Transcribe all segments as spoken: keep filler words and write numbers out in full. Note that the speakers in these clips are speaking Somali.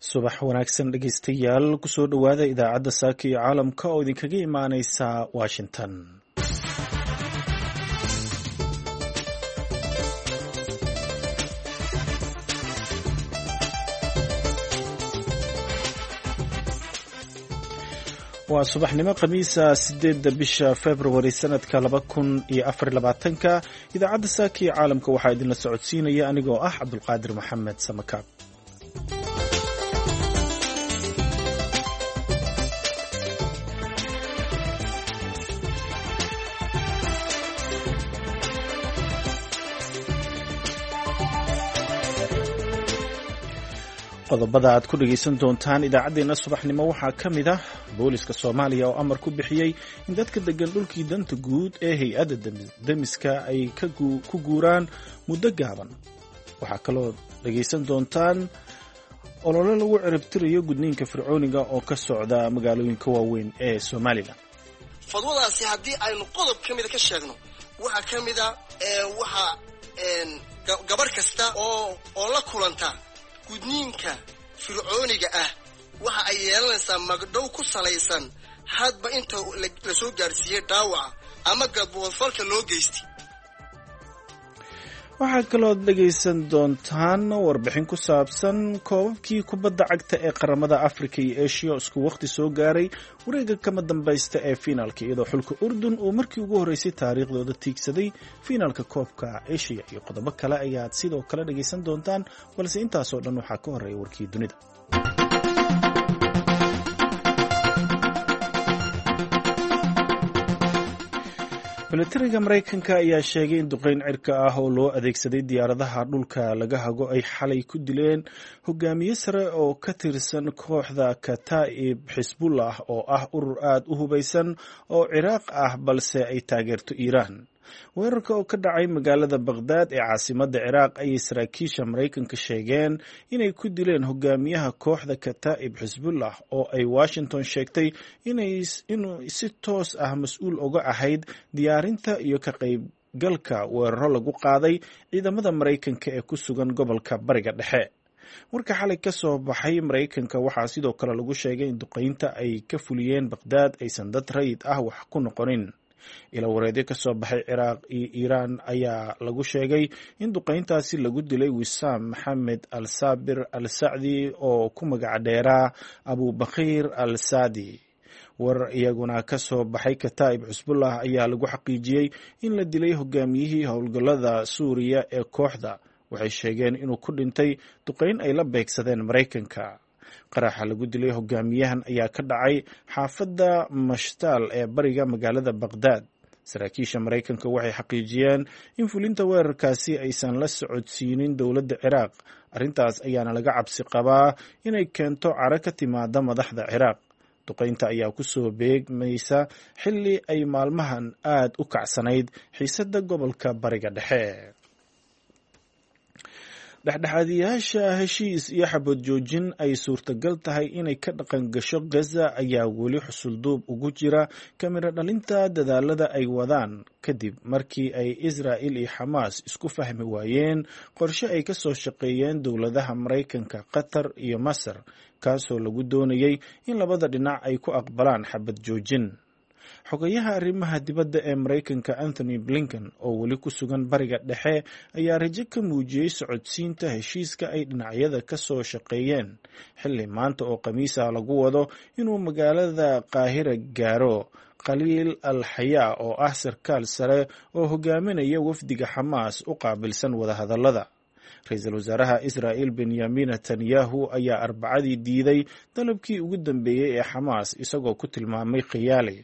Subax wanaagsan dhegeystayaal, kusoo dhowaada idaacadda Saaka iyo Caalamka oo idinkaga imaaneysa Washington. Waa subaxnimo Khamiisa, sideedda bisha Februari sanadka laba kun iyo afar labaatanka. Idaacadda Saaka iyo Caalamka waxaa idinla socodsiinaya anigoo ah Cabdulqaadir Maxamed Samakaab. Qodobada aad ku dhegaysan doontaan idaacaddeenna subaxnimo waxaa ka mid ah booliska Soomaaliya oo amar ku bixiyey in dadka deggan dhulkii danta guud ee hay-adda demiska ay ku guuraan muddo gaaban. Waxaa kaloo dhegaysan doontaan olole lagu ciribtirayo gudniinka fircooniga oo ka socda magaalooyinka waaweyn ee Somalilan. Fadwadaasi haddii aynu qodob ka mida ka sheegno, waxaa ka mida waxaa gabarh kasta oo oo la kulanta gudniinka fircooniga ah waxa ay yeelanaysaa magdhow ku salaysan hadba inta la soo gaadhsiiyey dhaawaca ama gadboodfalka loo geystay. Waxaad kalood dhegaysan doontaan warbixin ku saabsan koobabkii kubadda cagta ee qaramada Afrika iyo Eshiya oo isku wakhti soo gaaray wareegga kama dambaysta ee fiinaalka, iyadoo xulka Urdun uu markii ugu horreysay taariikhdooda tiigsaday fiinaalka koobka Eshiya, iyo qodobo kale ayaad sidoo kale dhegaysan doontaan, balse intaasoo dhan waxaa ka horreeya warkii dunida. Milatariga Maraykanka ayaa sheegay in duqeyn cirka ah oo loo adeegsaday diyaaradaha dhulka laga hago ay xalay ku dileen hogaamiye sare oo ka tirsan kooxda Kataa'ib Xisbullah, oo ah urur aad u hubaysan oo Ciraaq ah balse ay taageerto Iiraan. Weerarka oo ka dhacay magaalada Baqhdaad ee caasimadda Ciraaq ayay saraakiisha Maraykanka sheegeen inay ku dileen hogaamiyaha kooxda Kataa'ib Xisbullah, oo ay Washington sheegtay inuu si toos ah mas-uul uga ahayd diyaarinta iyo ka qaybgalka weeraro lagu qaaday ciidamada Maraykanka ee ku sugan gobolka Bariga Dhexe. Warka xalay ka soo baxay Maraykanka waxaa sidoo kale lagu sheegay in duqeynta ay ka fuliyeen Baqhdaad aysan dad rayid ah wax ku noqonin. Ila wareedyo ka soo baxay Ciraaq iyo Iiraan ayaa lagu sheegay in duqeyntaasi lagu dilay Wisaam Maxamed Al Saabir Al Sacdi oo ku magac dheeraa Abubakhiir Al Saadi. Warar iyaguna ka soo baxay Kataa'ib Xusbullah ayaa lagu xaqiijiyey in la dilay hogaamiyihii howlgallada Suuriya ee kooxda. Waxay sheegeen inuu ku dhintay duqeyn ay la beegsadeen Maraykanka. Qaraxa lagu dilay hogaamiyahan ayaa ka dhacay xaafadda Mashtaal ee bariga magaalada Baqhdaad. Saraakiisha Maraykanka waxay xaqiijiyeen in fulinta weerarkaasi aysan la socodsiinin dowladda Ciraaq. Arrintaas ayaana laga cabsi qabaa inay keento caro ka timaada madaxda Ciraaq. Duqeynta ayaa ku soo beegmaysa xilli ay maalmahan aad u kacsanayd xiisadda gobolka Bariga Dhexe. Dhexdhexaadiyaasha heshiis iyo xabad joojin ay suurtagal tahay inay ka dhaqan gasho Gaza ayaa weli xusulduub ugu jira kamiro dhalinta dadaalada ay wadaan, kadib markii ay Israa'il iyo Xamaas isku fahmi waayeen qorshe ay ka soo shaqeeyeen dowladaha Maraykanka, Qatar iyo Masar, kaasoo lagu doonayay in labada dhinac ay ku aqbalaan xabad joojin. Xogayaha arrimaha dibadda ee Maraykanka Anthony Blinken, oo weli ku sugan Bariga Dhexe, ayaa rajo ka muujiyey socodsiinta heshiiska ay dhinacyada ka soo shaqeeyeen, xilli maanta oo Khamiisa lagu wado inuu magaalada Qaahira gaaro Khaliil Al Xayaa, oo ah sarkaal sare oo hogaaminaya wafdiga Xamaas u qaabilsan wadahadallada. Ra-iisul wasaaraha Israa'il Benyamin Netanyahu ayaa Arbacadii diiday dalabkii ugu dambeeyey ee Xamaas, isagoo ku tilmaamay khiyaali.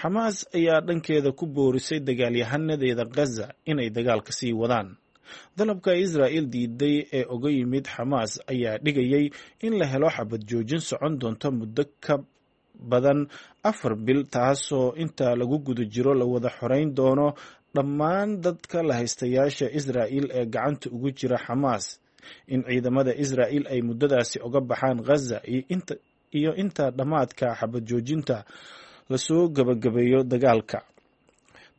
Xamaas ayaa dhankeeda ku boorisay dagaalyahanadeeda Gaza inay dagaalka sii wadaan. Dalabka Israa'il diiday ee uga yimid Xamaas ayaa dhigayay in la helo xabad joojin socon doonto muddo ka badan afar bil, taasoo inta lagu guda jiro la wada xoreyn doono dhammaan dadka la haystayaasha Israa'il ee gacanta ugu jira Xamaas, in ciidamada Israa'il ay muddadaasi uga baxaan Gaza iyo inta dhammaadka xabad joojinta lasoo gabagabeeyo dagaalka.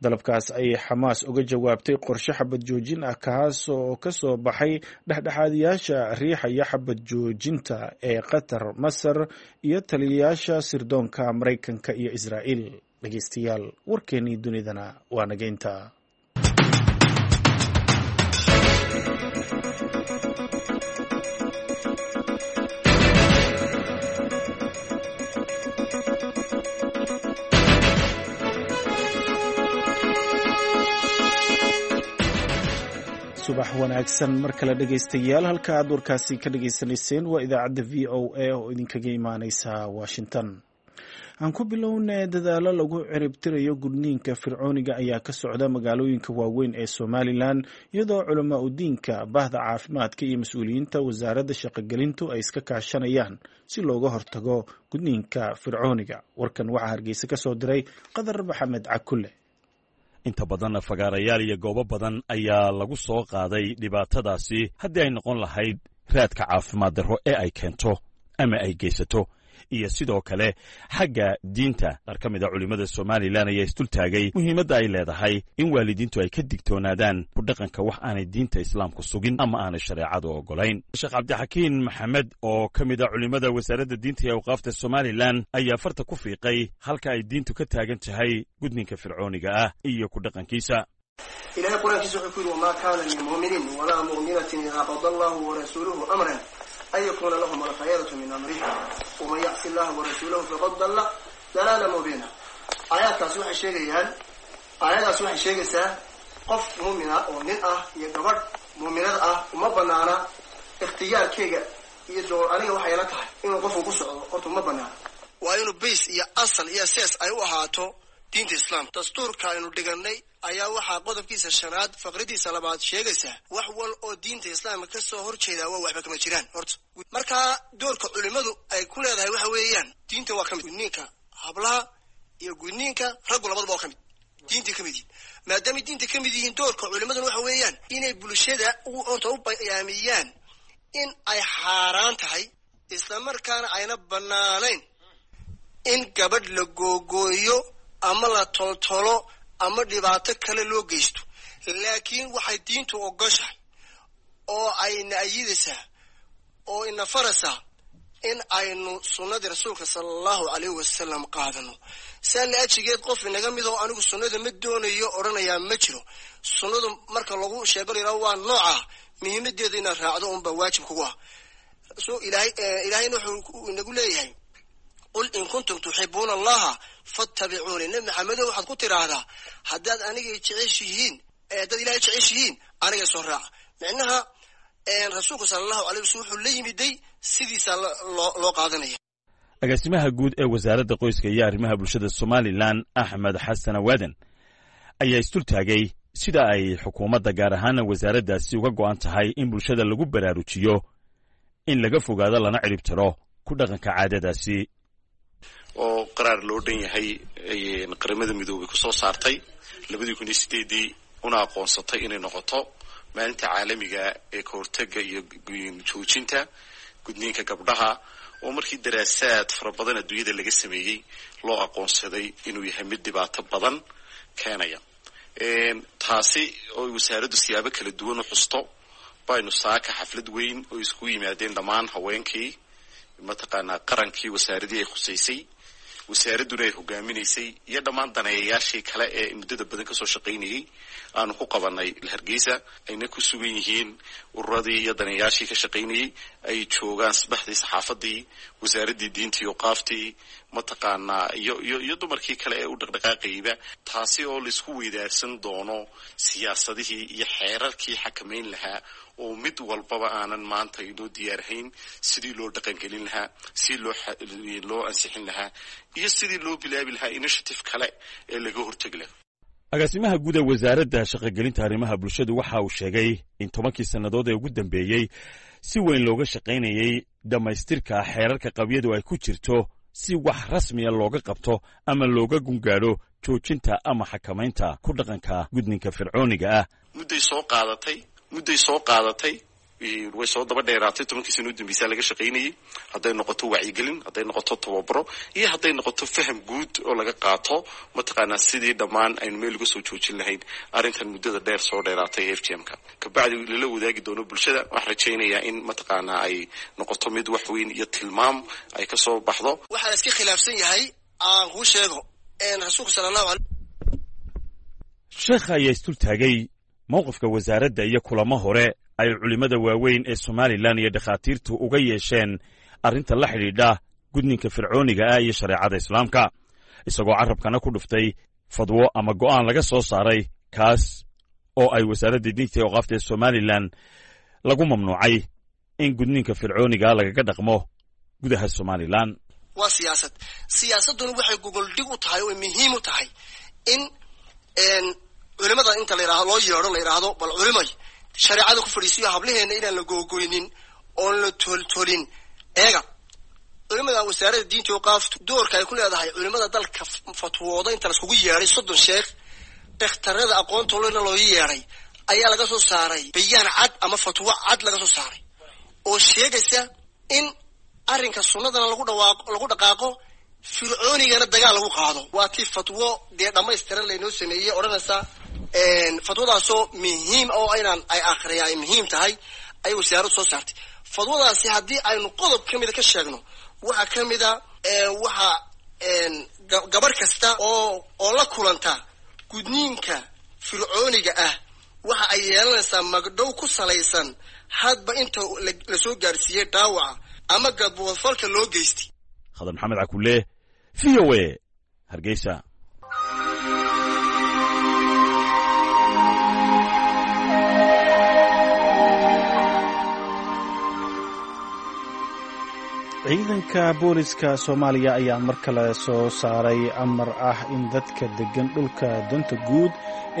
Dalabkaas ayay Xamaas uga jawaabtay qorshe xabad joojin ah, kaas oo ka soo baxay dhexdhexaadiyaasha riixaya xabad joojinta ee Qatar, Masar iyo taliyayaasha sirdoonka Maraykanka iyo Israa'iil. Dhegeystayaal, warkeenii dunidana waa nageynta. Subax wanaagsan mar kale dhegeystayaal, halka aad warkaasi ka dhageysanayseen waa idaacadda V O A oo idinkaga imaaneysa Washington. Aan ku bilownay, dadaalo lagu ciribtirayo gudniinka fircooniga ayaa ka socda magaalooyinka waaweyn ee Somalilan, iyadoo culamaa udiinka, bahda caafimaadka iyo mas-uuliyiinta wasaaradda shaqogelintu ay iska kaashanayaan si looga hortago gudniinka fircooniga. Warkan waxaa Hargeysa ka soo diray Qadar Maxamed Cakulle. Inta badan fagaarayaal iyo goobo badan ayaa lagu soo qaaday dhibaatadaasi, haddii ay noqon lahayd raadka caafimaad darro ee ay keento ama ay geysato iyo sidoo kale xagga diinta. Qaar ka mid a culimmada Somalilan ayaa isdultaagay muhiimadda ay leedahay in waalidiintu ay ka digtoonaadaan ku dhaqanka wax aanay diinta Islaamku sugin ama aanay shareecadu oggolayn. Sheekh Cabdixakiin Maxamed oo ka mid a culimmada wasaaradda diinta iyo awqaafta Somalilan ayaa farta ku fiiqay halka ay diintu ka taagan tahay gudninka fircooniga ah iyo ku dhaqankiisa. Ilahay Qur-aankiisa wuxuu ku yidhi: "Wamaa kaana limu'minin walaa mu'minatin idaa qada Allahu warasuuluhu amran an yakuuna lahum alkhayaratu min amrihi, waman yacsi Allaha warasuulahu faqad dalla dalaala mubiina." Aayaadkaasi waxay sheegayaan, aayadaasi waxay sheegaysaa qof muumina oo nin ah iyo gabadh muuminada ah uma banaana ikhtiyaarkeyga iyo door aniga waxay la tahay inuu qofku ku socdo. Horta uma banaana. Waa inuu base iyo asal iyo sees ay u ahaato diinta Islaamka. Dastuurka aynu dhiganay ayaa waxaa qodobkiisa shanaad faqridiisa labaad sheegaysaa wax wal oo diinta Islaamka ka soo horjeedaa waa waxba kama jiraan. Horta markaa doorka culimmadu ay ku leedahay waxa weeyaan, diinta waa ka mid gudniinka hablaha iyo gudniinka raggu, labadaba waa ka mid, diintay ka mid yihiin. Maadaamay diinta ka mid yihiin, doorka culimmaduna waxa weeyaan inay bulshada horta u bayaamiyaan in ay xaaraan tahay, islamarkaana ayna banaanayn in gabadh la googooyo ama la toltolo ama dhibaato kale loo geysto. Laakiin waxay diintu ogoshahay oo ayna ayidaysaa oo ina faraysaa in aynu sunnadii Rasuulka sala Allahu calayhi wasalam qaadano. Saa la ajigeed, qof inaga mid oo "anigu sunnada ma doonayo" odhanayaa ma jiro. Sunnadu marka lagu sheego la yidhaho waa nooca, muhiimadeeda inaad raacdo unbaa waajib kugu ah. So Ilahay, Ilahayna wuxuu inagu leeyahay: "Qul in kuntum tuxibuuna Allaha fattabicuuni." Nebi Maxamedow, waxaad ku tidhaahdaa haddaad anigay jeceshihiin, haddaad Ilahay jeceshihiin, aniga soo raaca. Micnaha Rasuulku sala Allahu alay waslm wuxuu la yimiday sidiisaa loo loo qaadanaya. Agaasimaha guud ee wasaaradda qoyska iyo arrimaha bulshada Somalilan, Axmed Xasan Awaaden, ayaa isdultaagay sida ay xukuumadda, gaar ahaana wasaaraddaasi, uga go'an tahay in bulshada lagu baraarujiyo in laga fogaado lana cirib tiro ku dhaqanka caadadaasi. Oo qaraar loo dhan yahay Qaramada Midoobay ku soo saartay labadii kun iyo sideedii una aqoonsatay inay noqoto maalinta caalamiga ee ka hortagga iyo joojinta gudniinka gabdhaha, oo markii daraasaad fara badan adduunyada laga sameeyey loo aqoonsaday inuu yahay mid dhibaato badan keenaya. Taasi oo wasaaraddu siyaabo kala duwan u xusto baynu saaka xaflad weyn oo isku yimaadeen dhammaan haweenkii mataqaanaa qarankii, wasaaradii ay khusaysay, wasaaradduna ay hogaaminaysay, iyo dhammaan daneeyayaashii kale ee muddada badan kasoo shaqaynayay aanu ku qabanay Hargeysa, ayna ku sugan yihiin ururadii iyo daneeyayaashii ka shaqaynayay, ay joogaan sabaxdii saxaafadii, wasaaraddii diintii iyo qaaftii mataqaanaa iyo iyo iyo dumarkii kale ee u dhaqdhaqaaqayba, taasi oo laisku weydaarsan doono siyaasadihii iyo xeerarkii xakamayn lahaa, oo mid walbaba aanan maanta inoo diyaarhayn sidii loo dhaqangelin lahaa, sidii loo loo ansixin lahaa iyo sidii loo bilaabi lahaa initiative kale ee laga hortegi lahaa. Agaasimaha guud ee wasaaradda shaqogelinta arrimaha bulshadu waxa uu sheegay in tobankii sannadood ee ugu dambeeyey si weyn looga shaqaynayey dhammaystirka xeerarka qabyadu ay ku jirto, si wax rasmiya looga qabto ama looga gungaadho joojinta ama xakamaynta ku dhaqanka gudninka fircooniga ah. Mudday soo qaadatay, mudday soo qaadatay. Way soo daba dheeraatay, tobankii sano u dambaysaa laga shaqaynayay, hadday noqoto wacyigelin, hadday noqoto tababaro, iyo hadday noqoto faham guud oo laga qaato mataqaanaa sidii dhammaan aynu meel uga soo joojin lahayn arrintan muddada dheer soo dheeraatay ee F G M-ka. Kabacdi lala wadaagi doono bulshada. Waxaan rajaynayaa in mataqaanaa ay noqoto mid wax weyn iyo tilmaam ay kasoo baxdo. Waxaa la iska khilaafsan yahay aan kuu sheego rasuulka sala allahu alay. Sheekha ayaa isdultaagay mowqifka wasaaradda iyo kulamo hore ay culimmada waaweyn ee Somalilan iyo dhakhaatiirtu uga yeesheen arrinta la xidhiidha gudninka fircooniga ah iyo shareecada islaamka, isagoo carrabkana ku dhuftay fadwo ama go'aan laga soo saaray kaas oo ay wasaaradda diinta iyo awqaafta ee Somalilan lagu mamnuucay in gudninka fircooniga lagaga dhaqmo gudaha Somalilan. Waa siyaasad, siyaasadduna waxay gogoldhig u tahay oo muhiim u tahay in culimada inta la yidhahdo loo yeedho, la yidhaahdo bal culimay shareecada ku fadhiisiyo hablaheena inaan la googoynin oon la toltolin. Eega culimada wasaaradda diinta awqaaftu doorka ay ku leedahay culimada dalka fatwooda inta laiskugu yeedhay soddon sheekh, dhakhtarada aqoontolena loo yeedhay, ayaa laga soo saaray bayaan cad ama fatwo cad laga soo saaray oo sheegaysa in arrinka sunnadana lagu dhawaaqo, lagu dhaqaaqo, fircoonigana dagaal lagu qaado. Waa tii fatwo dee dhammaystiran laynoo sameeyey odhanaysa, fatwadaasoo muhiim oo inaan ay akhriya ay muhiim tahay ayay wasaaraddu soo saartay. Fatwadaasi haddii aynu qodob ka mida ka sheegno, waxaa ka mida waxa gabarh kasta oo oo la kulanta gudniinka fircooniga ah waxa ay yeelanaysaa magdhow ku salaysan hadba inta lasoo gaadhsiiyey dhaawaca ama gadboodfalka loo geystay. Khadar Maxamed Cakulle, V O A, Hargeysa. Ciidanka booliska Soomaaliya ayaa mar kale soo saaray amar ah in dadka deggan dhulka danta guud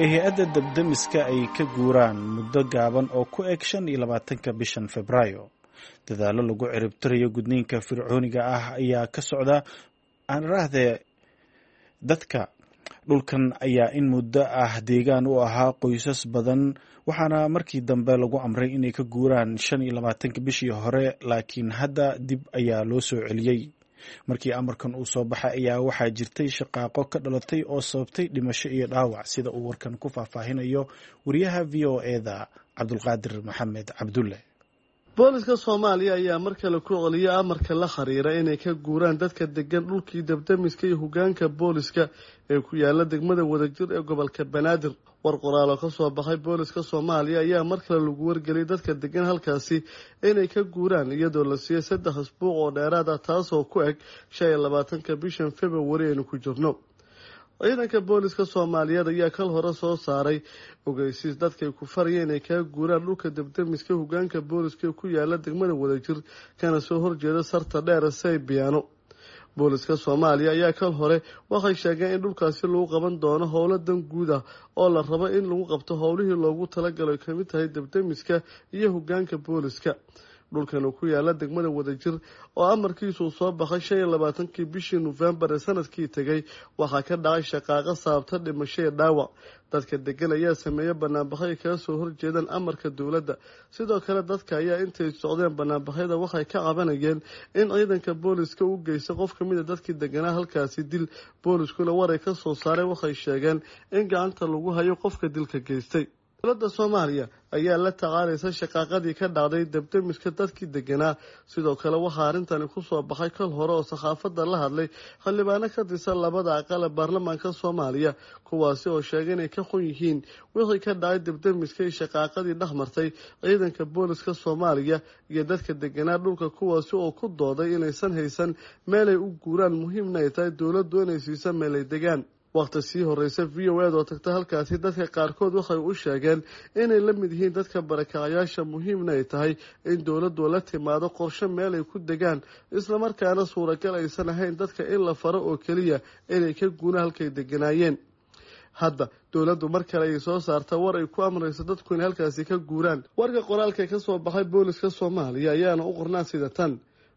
ee hay-adda dabdemiska ay ka guuraan muddo gaaban oo ku eg shan iyo labaatanka bishan Febraayo. Dadaallo lagu ciribtirayo gudniinka fircooniga ah ayaa ka socda aanraahdee dadka dhulkan ayaa in muddo ah deegaan u ahaa qoysas badan, waxaana markii dambe lagu amray inay ka guuraan shan iyo labaatanka bishii hore, laakiin hadda dib ayaa loo soo celiyey. Markii amarkan uu soo baxay ayaa waxaa jirtay shaqaaqo ka dhalatay oo sababtay dhimasho iyo dhaawac, sida uu warkan ku faahfaahinayo wariyaha V O E-da Cabdulqaadir Maxamed Cabdulle. Booliska Soomaaliya ayaa mar kale ku celiyay amarka la xiriira inay ka guuraan dadka degan dhulkii dabdamiska iyo hogaanka booliska ee ku yaala degmada Wadajir ee gobolka Banaadir. War qoraal oo kasoo baxay booliska Soomaaliya ayaa mar kale lagu wargeliyay dadka degan halkaasi inay ka guuraan, iyadoo la siiyey saddex isbuuc oo dheeraad ah, taasoo ku eg shan iyo labaatanka bishan Februari aynu ku jirno. Ciidanka booliska Soomaaliyeed ayaa kal hore soo saaray ogeysiis dadkay ku farayeen inay kaga guuraan dhulka dabdamiska hogaanka booliska ku yaala degmada Wadajir kana soo horjeeda sarta dheer Saybiyaano. Booliska Soomaaliya ayaa kal hore waxay sheegeen in dhulkaasi lagu qaban doono howlo dan guud ah oo la rabo in lagu qabto howlihii loogu talagalay kamid tahay dabdamiska iyo hogaanka booliska. Dhulkan ku yaala degmada Wadajir oo amarkiisu soo baxay shan iyo labaatankii bishii Nofembar ee sanadkii tegay waxaa ka dhacay shaqaaqo sababta dhimasho iyo dhaawac. Dadka degan ayaa sameeyay banaanbaxyo ay kaga soo horjeedaan amarka dowladda. Sidoo kale dadka ayaa intay socdeen banaanbaxyada waxay ka cabanayeen in ciidanka booliska u geysta qof ka mid a dadkii deganaa halkaasi dil. Booliskuna war ay ka soo saareen waxay sheegeen in gacanta lagu hayo qofka dilka geystay. Dowladda Soomaaliya ayaa la tacaalaysa shaqaaqadii ka dhacday dabdamiska dadkii deganaa. Sidoo kale waxaa arrintani kusoo baxay kal hore oo saxaafadda la hadlay xildhibaano ka tirsan labada aqal ee baarlamaanka Soomaaliya, kuwaasi oo sheegay inay ka xun yihiin wixii ka dhacay dabdamiska iyo shaqaaqadii dhex martay ciidanka booliska Soomaaliya iyo dadka deganaa dhulka, kuwaasi oo ku dooday inaysan haysan meelay u guuraan, muhiimna ay tahay dowladdu inay siiso meelay degaan. Waqti sii horeysa V O A oo tagta halkaasi dadka qaarkood waxay u sheegeen inay la mid yihiin dadka barakacayaasha, muhiimna ay tahay in dowladdu la timaado qorshe meel ay ku degaan, islamarkaana suuragal aysan ahayn dadka in la faro oo keliya inay ka guuraan halkay deganaayeen. Hadda dowladdu mar kale ay soo saarta war ay ku amrayso dadku inay halkaasi ka guuraan. Warka qoraalka ka soo baxay booliska Soomaaliya ayaana u qornaa sida tan: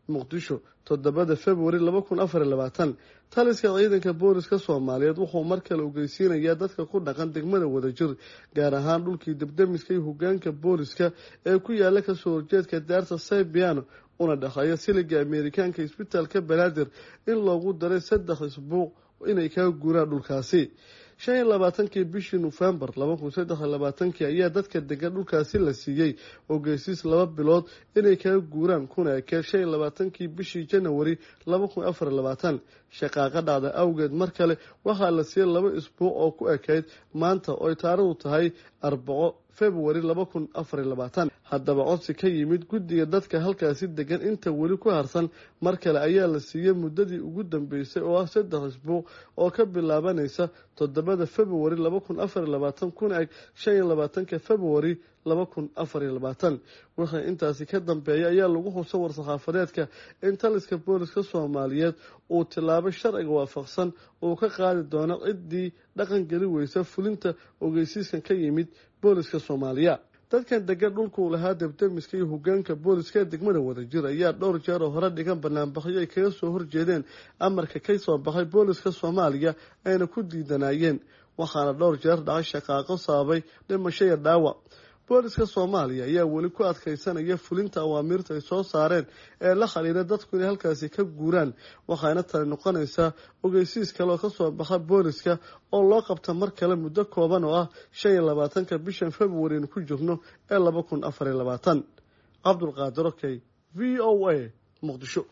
Muqdisho, toddobada Februari laba kun afar iyo labaatan. Taliska ciidanka booliska Soomaaliyeed wuxuu mar kale ogeysiinayaa dadka ku dhaqan degmada Wadajir, gaar ahaan dhulkii debdemiska iyo hogaanka booliska ee ku yaala kasoo horjeedka daarta Saybiano una dhexeeya siliga Ameerikaanka isbitaalka Banaadir, in loogu daray saddex isbuuc inay kaga guuraan dhulkaasi. Shan iyo labaatankii bishii Nofembar laba kun saddex iyo labaatankii ayaa dadka degan dhulkaasi la siiyey ogeysiis laba bilood inay kaga guuraan, kuna ekee shan iyo labaatankii bishii Janawari laba kun afar iyo labaatan. Shaqaaqa dhacda awgeed mar kale waxaa la siiyey laba isbuuc oo ku ekayd maanta oo ay taariikhdu tahay arbaco Februari laba kun afar iyo labaatan. Haddaba codsi ka yimid guddiga dadka halkaasi degan inta weli ku harsan mar kale ayaa la siiyey muddadii ugu dambeysay oo ah saddex isbuuc oo ka bilaabanaysa toddobada Februari laba kun afar iyo labaatan kuna eg shan iyo labaatanka Februari laba kun afar iyo labaatan. Wixii intaasi ka dambeeya ayaa lagu xuso war-saxaafadeedka in taliska booliska Soomaaliyeed uu tilaabo sharciga waafaqsan uu ka qaadi doono ciddii dhaqan geli weysa fulinta ogeysiiskan ka yimid booliska Soomaaliya. Dadkan degan dhulkuu lahaa debdemiska iyo hogaanka booliska ee degmada Wadajir ayaa dhowr jeer oo hore dhigan banaanbaxyo ay kaga soo horjeedeen amarka ka soo baxay booliska Soomaaliya ayna ku diidanayeen, waxaana dhowr jeer dhacay shaqaaqo sababay dhimasho iyo dhaawac. Booliska Soomaaliya ayaa weli ku adkaysanaya fulinta awaamiirta ay soo saareen ee la xiriira dadku inay halkaasi ka guuraan, waxaana tani noqonaysaa ogeysiis kale oo kasoo baxa booliska oo loo qabta mar kale muddo kooban oo ah shan iyo labaatanka bishan Februari aynu ku jirno ee laba kun afar iyo labaatan. Cabdulqaadir Okey, V O A, Muqdisho.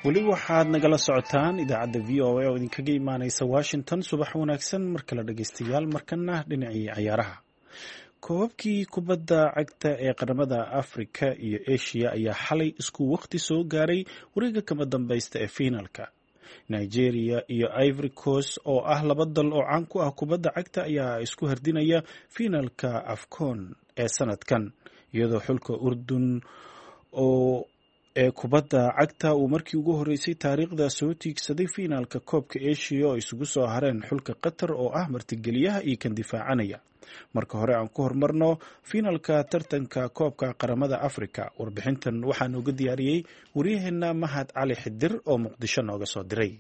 Weli waxaad nagala socotaan idaacadda V O A oo idinkaga imaaneysa Washington. Subax wanaagsan mar kale dhegeystayaal. Markana dhinacii cayaaraha. Koobabkii kubadda cagta ee qaramada Afrika iyo Asia ayaa xalay isku waqti soo gaaray wareegga kama dambaysta ee fiinalka. Nigeria iyo Ivory Coast oo ah laba dal oo caan ku ah kubadda cagta ayaa isku hardinaya fiinalka AFCON ee sanadkan, iyadoo xulka Urdun oo ee kubadda cagta uu markii ugu horeysay taariikhda soo tiigsaday fiinaalka koobka Asia oo isugu soo hareen xulka Qatar oo ah martigeliyaha iyo kan difaacanaya. Marka hore aan ku hormarno fiinalka tartanka koobka qaramada Afrika. Warbixintan waxaa nooga diyaariyey waryaheena Mahad Cali Xidir oo Muqdisho nooga soo diray.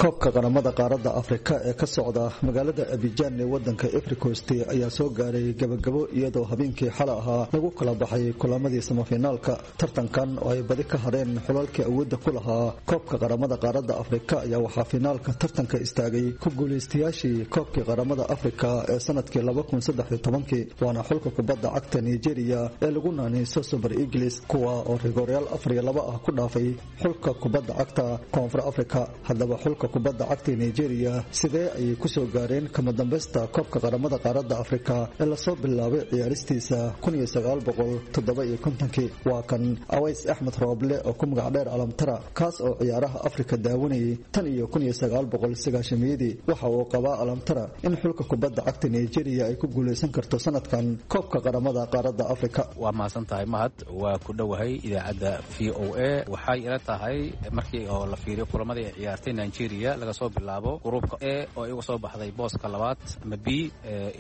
Koobka qaramada qaaradda Afrika ee ka socda magaalada Abidjan ee wadanka Ivory Coast ayaa soo gaaray gabagabo, iyadoo habeenkii xalay ahaa lagu kala baxay kulamadii semifinaalka. Tartankan oo ay badi ka hareen xulalkii awoodda ku lahaa koobka qaramada qaaradda Afrika ayaa waxaa finaalka tartanka istaagay ku guuleystayaashii koobkii qaramada Afrika ee sanadkii laba kun saddex iyo tobankii, waana xulka kubadda cagta Nigeria ee lagu naanayso Super Eagles, kuwa oo rigooryaal afar iyo laba ah ku dhaafay xulka kubadda cagta Koonfur Afrika. Haddaba xulka kubadda cagta Nigeria sidee ayay ku soo gaareen kama dambaysta koobka qaramada qaaradda Afrika ee lasoo bilaabay ciyaaristiisa kun iyo sagaal boqol toddoba iyo kontonkii? Waa kan Aways Axmed Rooble oo ku magac dheer Alamtara, kaas oo ciyaaraha Afrika daawanayay tan iyo kun iyo sagaal boqol sagaashamiyadii. Waxa uu qabaa Alamtara in xulka kubadda cagta Nigeria ay ku guuleysan karto sanadkan koobka qaramada qaaradda Afrika. Waa mahadsan tahay Mahad, waa ku dhowahay idaacadda V O A. Waxay ila tahay markii oo la fiiriyo kulamadii ay ciyaartay Nigeria laga soo bilaabo gruubka A oo igu soo baxday booska labaad ama B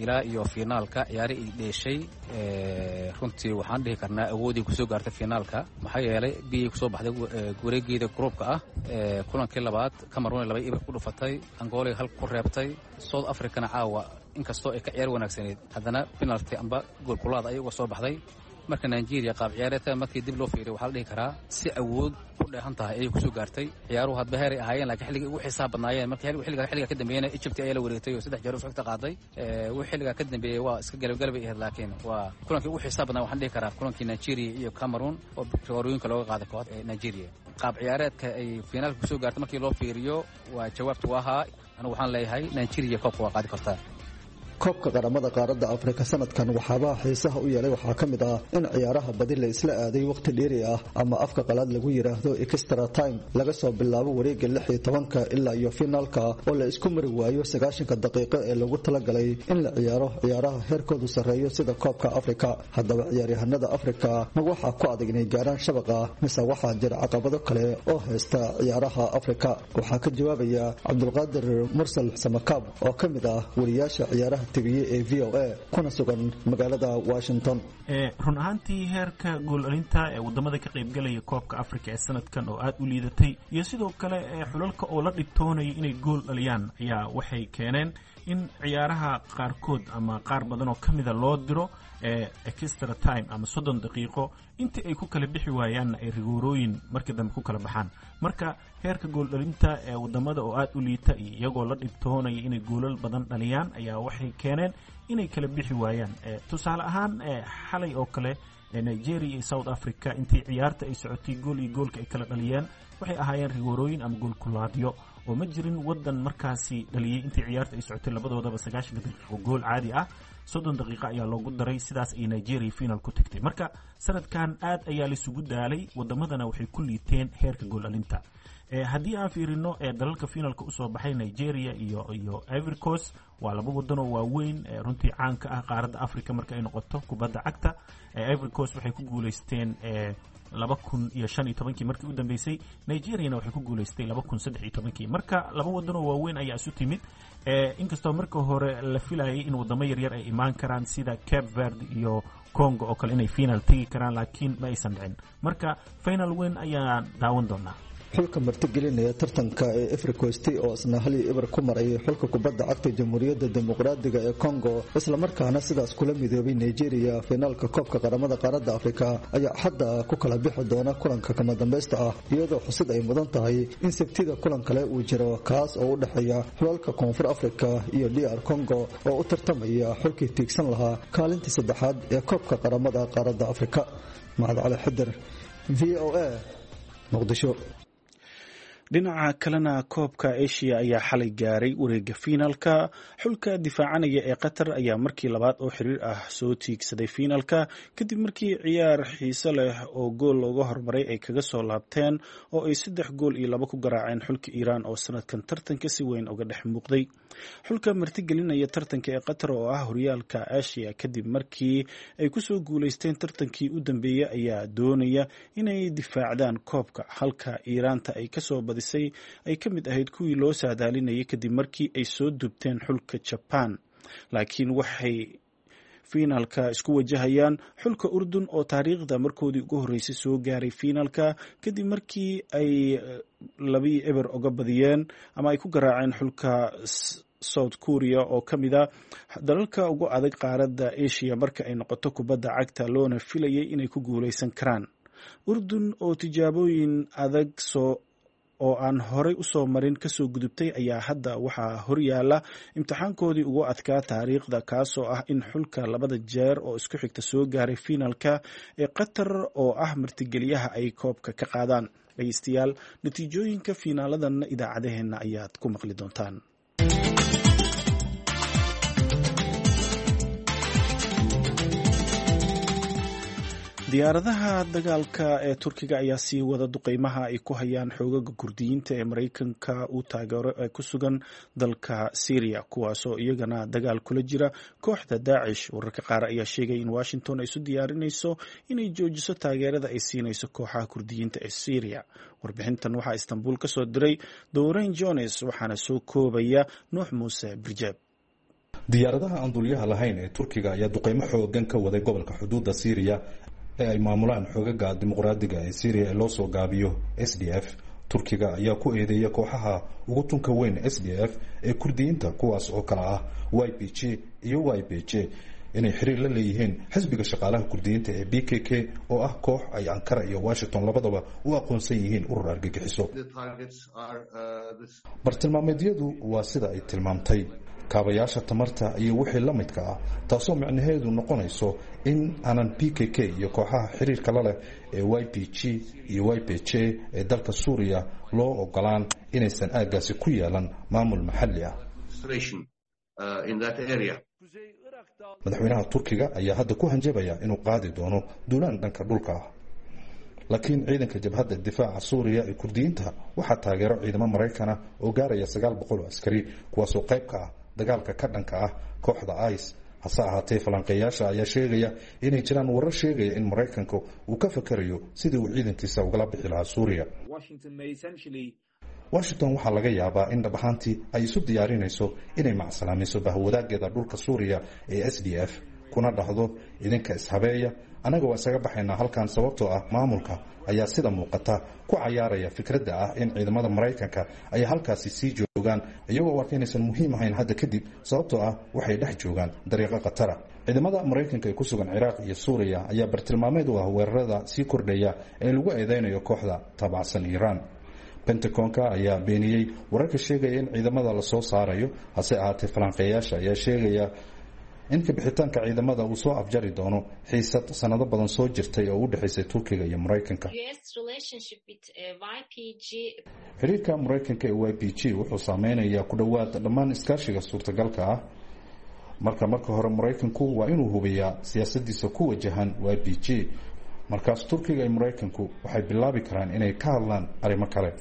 ilaa iyo finaalka ciyaari ay dheeshay, runtii waxaan dhihi karnaa awoodii kusoo gaartay finaalka. Maxaa yeelay B ay kusoo baxday wareegeeda gruubka ah, kulankii labaad Cameroon laba ibir ku dhufatay, Angola hal ku reebtay, South Africana caawa inkastoo ay ka ciyaar wanaagsaneyd haddana penalty amba goolkulaad ayay uga soo baxday. Marka Nigeria qaab ciyaareedka markii dib loo fiiriyo waxaa la dhihi karaa si awood ku dheehan tahay ayay kusoo gaartay. Ciyaaruhu hadba heeray ahaayeen, laakiin xilligii ugu xisaab badnaayeen markii xilliga xilliga ka dambeeyena Egypt ayaa la wareegtay oo saddex jeer u xigta qaaday. Wixii xilliga ka dambeeyay waa iska galab-galabay ahayd, laakiin waa kulankii ugu xisaab badnaa waxaan dhihi karaa kulankii Nigeria iyo Cameroon oo rigoorooyinka looga qaaday kooxda ee Nigeria. Qaab ciyaareedka ay finaalka kusoo gaartay markii loo fiiriyo waa jawaabtu waa ahaa. Anigu waxaan leeyahay Nigeria koobka waa qaadi kartaa. Koobka qaramada qaaradda Afrika sanadkan waxaabaha xiisaha u yeelay waxaa ka mid ah in ciyaaraha badi la isla aaday waqti dheeri ah ama afka qalaad lagu yidhaahdo extra time, laga soo bilaabo wareegga lix iyo tobanka ilaa iyo finaalka oo la isku mari waayo sagaashanka daqiiqo ee lagu talagalay in la ciyaaro ciyaaraha heerkoodu sarreeyo sida koobka Afrika. Haddaba ciyaaryahanada Afrika ma waxaa ku adag inay gaaraan shabaqa mise waxaa jira caqabado kale oo haysta ciyaaraha Afrika? Waxaa ka jawaabaya Cabdulqaadir Mursal Samakaab oo ka mid ah wariyaasha ciyaaraha T V ee V O A kuna sugan magaalada Washington. Run ahaantii, heerka gool dhalinta ee wadamada ka qaybgalaya koobka Afrika ee sanadkan oo aada u liidatay iyo sidoo kale xulalka oo la dhibtoonaya inay gool dhaliyaan ayaa waxay keeneen in ciyaaraha qaarkood ama qaar badan oo ka mida loo diro extra time ama soddon daqiiqo, intii ay ku kala bixi waayaanna ay rigoorooyin markii dambe ku kala baxaan. Marka heerka gooldhalinta ee wadamada oo aada u liita iyo iyagoo la dhibtoonaya inay goolal badan dhaliyaan ayaa waxay keeneen inay kala bixi waayaan. Tusaale ahaan, xalay oo kale Nigeria iyo South Africa intii ciyaarta ay socotay gool iyo goolka ay kala dhaliyeen waxay ahaayeen rigoorooyin ama goolkulaadyo, oo ma jirin wadan markaasi dhaliyey intii ciyaarta ay socotay labadoodaba sagaashanka daqiiqo gool caadi ah. Soddon daqiiqo ayaa loogu daray, sidaas ay Nigeria final ku tagtay. Marka sanadkan aad ayaa laisugu daalay, wadamadana waxay ku liiteen heerka gool dhalinta. Haddii aan fiirino dalalka finalka usoo baxay, Nigeria iyo iyo Ivory Coast waa laba wadan oo waaweyn runtii caanka ah qaaradda Africa marka ay noqoto kubadda cagta. Ivory Coast waxay ku guuleysteen laba kun iyo shan iyo tobankii markii u dambeysay, Nigeriana waxay ku guuleystay laba kun saddex iyo tobankii. Marka laba wadan oo waaweyn ayaa isu timid, inkastoo marka hore la filayay in wadamo yaryar ay imaan karaan sida Cape Verde iyo Congo oo kale inay final tegi karaan, laakiin ma aysan dhicin. Marka final weyn ayaan daawan doonaa. Xulka martigelinaya tartanka ee Ivory Coast oo isna hal iyo eber ku maray xulka kubadda cagta Jamhuuriyadda Dimuqraadiga ee Congo, islamarkaana sidaas kula midoobay Nigeria finaalka koobka qaramada qaaradda Afrika, ayaa hadda ku kala bixi doona kulanka kama dambaysta ah, iyadoo xusid ay mudan tahay in Sabtida kulan kale uu jiro, kaas oo u dhexeeya xulalka Koonfur Afrika iyo D R Congo oo u tartamaya xulkii tiigsan lahaa kaalinta saddexaad ee koobka qaramada qaaradda Afrika. Mahad Cali Xidir, V O A, Muqdisho. Dhinaca kalena, koobka Asia ayaa xalay gaaray wareega fiinalka. Xulka difaacanaya ee Qatar ayaa markii labaad oo xiriir ah soo tiigsaday fiinalka, kadib markii ciyaar xiise leh oo gool looga hormaray ay kaga soo laabteen oo ay saddex gool iyo laba ku garaaceen xulka Iiraan oo sanadkan tartanka si weyn uga dhex muuqday. Xulka martigelinaya tartanka ee Qatar oo ah horyaalka Asia kadib markii ay kusoo guuleysteen tartankii u dambeeyey ayaa doonaya inay difaacdaan koobka, halka Iiraanta ay kasoo badisay ay ka mid ahayd kuwii loo saadaalinayay kadib markii ay soo dubteen xulka Jaban, laakiin waxay fiinalka isku wajahayaan xulka Urdun oo taariikhda markoodii ugu horreysay soo gaaray fiinalka kadib markii ay labii eber oga badiyeen ama ay ku garaaceen xulka South Korea oo ka mid a dalalka ugu adag qaaradda Asia marka ay noqoto kubadda cagta, loona filayay inay ku guuleysan karaan. Urdun oo tijaabooyin adag soo oo aan horey usoo marin kasoo gudubtay ayaa hadda waxaa horyaala imtixaankoodii ugu adkaa taariikhda, kaasoo ah in xulka labada jeer oo isku xigta soo gaaray fiinalka ee Qatar oo ah martigeliyaha ay koobka ka qaadaan. Dhegeystayaal, natiijooyinka fiinaaladanna idaacadaheenna ayaad ku maqli doontaan. Diyaaradaha dagaalka ee Turkiga ayaa sii wada duqeymaha ay ku hayaan xoogaga Kurdiyiinta ee Maraykanka uu taageero ee ku sugan dalka Syria, kuwaasoo iyagana dagaal kula jira kooxda Daacish. Wararka qaar ayaa sheegay in Washington ay isu diyaarinayso inay joojiso taageerada ay siinayso kooxaha Kurdiyiinta ee Syria. Warbixintan waxaa Istanbul ka soo diray Dorian Jones, waxaana soo koobaya Nuux Muuse Birjeeb. Diyaaradaha aan duuliyaha lahayn ee Turkiga ayaa duqeymo xoogan ka waday gobolka xuduudda Syriya ee ay maamulaan xoogaga dimuqraadiga ee Syriya ee loo soo gaabiyo S D F. Turkiga ayaa ku eedeeya kooxaha ugu tunka weyn S D F ee Kurdiyiinta, kuwaas oo kale ah Y P G iyo Y P J, inay xiriir la leeyihiin xisbiga shaqaalaha Kurdiyiinta ee P K K oo ah koox ay Ankara iyo Washington labadaba u aqoonsan yihiin urur argagixiso. Bartilmaameedyadu waa sida ay tilmaamtay kaabayaasha tamarta iyo wixii la midka ah, taasoo micnaheedu noqonayso in aanan P K K iyo kooxaha xiriirka la leh ee Y P G iyo Y P J ee dalka Suuriya loo ogolaan inaysan aaggaasi ku yeelan maamul maxalli ah. uh, in that area. Madaxweynaha Turkiga ayaa hadda ku hanjabaya inuu qaadi doono duulaan dhanka dhulka ah, laakiin ciidanka jabhadda difaaca Suuriya ee Kurdiyiinta waxaa taageero ciidamo Maraykana oo gaaraya sagaal boqol oo askari, kuwaasoo qayb ka ah dagaalka ka dhanka ah kooxda ICE. Hase ahaatee, falanqeeyaasha ayaa sheegaya inay jiraan warar sheegaya in Maraykanku uu ka fakerayo sidii uu ciidankiisa ugala bixi lahaa Suuriya. Washington waxaa laga yaabaa in dhab ahaantii ay isu diyaarinayso inay macsalaamiso bahwadaageeda dhulka Suuriya ee S D F, kuna dhahdo: "Idinka ishabeeya, annaga waa isaga baxaynaa halkan," sababtoo ah maamulka ayaa sida muuqata ku cayaaraya fikradda ah in ciidamada Maraykanka ay halkaasi sii joogaan, iyagoo u arka inaysan muhiim ahayn hadda kadib, sababtoo ah waxay dhex joogaan dariiqo khatara. Ciidamada Maraykanka ee ku sugan Ciraaq iyo Suuriya ayaa bartilmaameed u ah weerarada sii kordhaya ee lagu eedeynayo kooxda taabacsan Iiraan. Pentagonka ayaa beeniyey wararka sheegaya in ciidamada lasoo saarayo. Hase ahaatee, falanqeeyaasha ayaa sheegaya in kabixitaanka ciidamada uu soo afjari doono xiisad sanado badan soo jirtay oo u dhexaysay Turkiga iyo Maraykanka. Xiriirka Maraykanka ee Y P G wuxuu saameynayaa ku dhowaad dhammaan iskaashiga suurtagalka ah. Marka marka hore Maraykanku waa inuu hubiyaa siyaasadiisa ku wajahan Y P G. Markaas Turkiga iyo Maraykanku waxay bilaabi karaan inay ka hadlaan arrimo kale.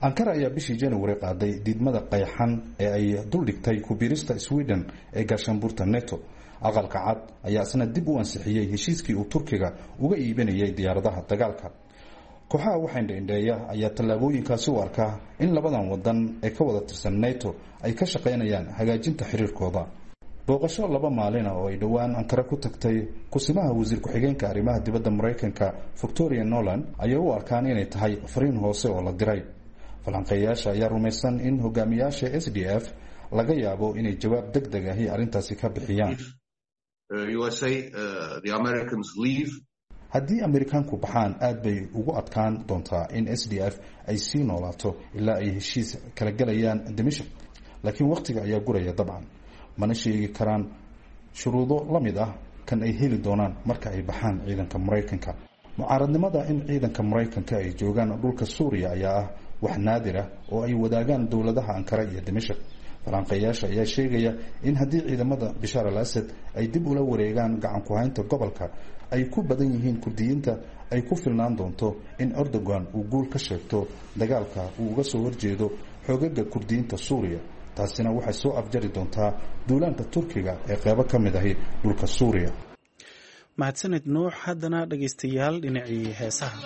Ankara ayaa bishii January qaaday diidmada qayxan ee ay duldhigtay ku-biirista Sweden ee gaashaanbuurta NATO. Aqalka Cad ayaa isna dib u ansixiyey heshiiskii uu Turkiga uga iibinayay diyaaradaha dagaalka. Kooxaha wax indhaindheeya ayaa tallaabooyinkaasi u arkaa in labadan wadan ee ka wada tirsan NATO ay ka shaqaynayaan hagaajinta xiriirkooda. Booqasho laba maalina oo ay dhowaan Ankara ku tagtay kusimaha wasiir ku-xigeenka arrimaha dibadda Maraykanka Victoria Noland ayay u arkaan inay tahay fariin hoose oo la diray. Falanqeeyaasha ayaa rumaysan in hogaamiyaasha S D F laga yaabo inay jawaab deg deg ahi arrintaasi ka bixiyaan. Haddii Amerikaanku baxaan, aad bay ugu adkaan doontaa in S D F ay sii noolaato ilaa ay heshiis kala gelayaan Dimashq, laakiin wakhtiga ayaa guraya dabcan, mana sheegi karaan shuruudo la mid ah kan ay heli doonaan marka ay baxaan ciidanka Maraykanka. Mucaaradnimada in ciidanka Maraykanka ay joogaan dhulka Suuriya ayaa ah wax naadir ah oo ay wadaagaan dowladaha Ankara iyo Dimashq. Falanqeeyaasha ayaa sheegaya in haddii ciidamada Bishaar al Asad ay dib ula wareegaan gacan ku-haynta gobolka ay ku badan yihiin Kurdiyiinta, ay ku filnaan doonto in Erdogan uu guul ka sheegto dagaalka uu uga soo horjeedo xoogaga Kurdiyiinta Suuriya. Taasina waxay soo afjari doontaa duulaanka Turkiga ee qeybo ka mid ahi dhulka Suuriya. Mahadsanid, Nuux. Haddana dhegaystayaal, dhinacii heesaha.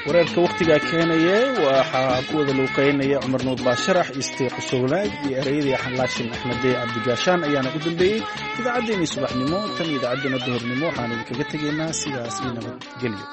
Wareerka wakhtigaa keenaye waxaa ku wada luuqeynaya Cumar Nuur Baasharax, Isteequsowlaag iyo ereyadii Xalaashin Axmedee Cabdigaashaan ayaana u dambeeyey idaacaddeenii subaxnimo. Tan iyo idaacaddeenna duhurnimo waxaan idinkaga tegaynaa sidaas iyo nabadgelyo.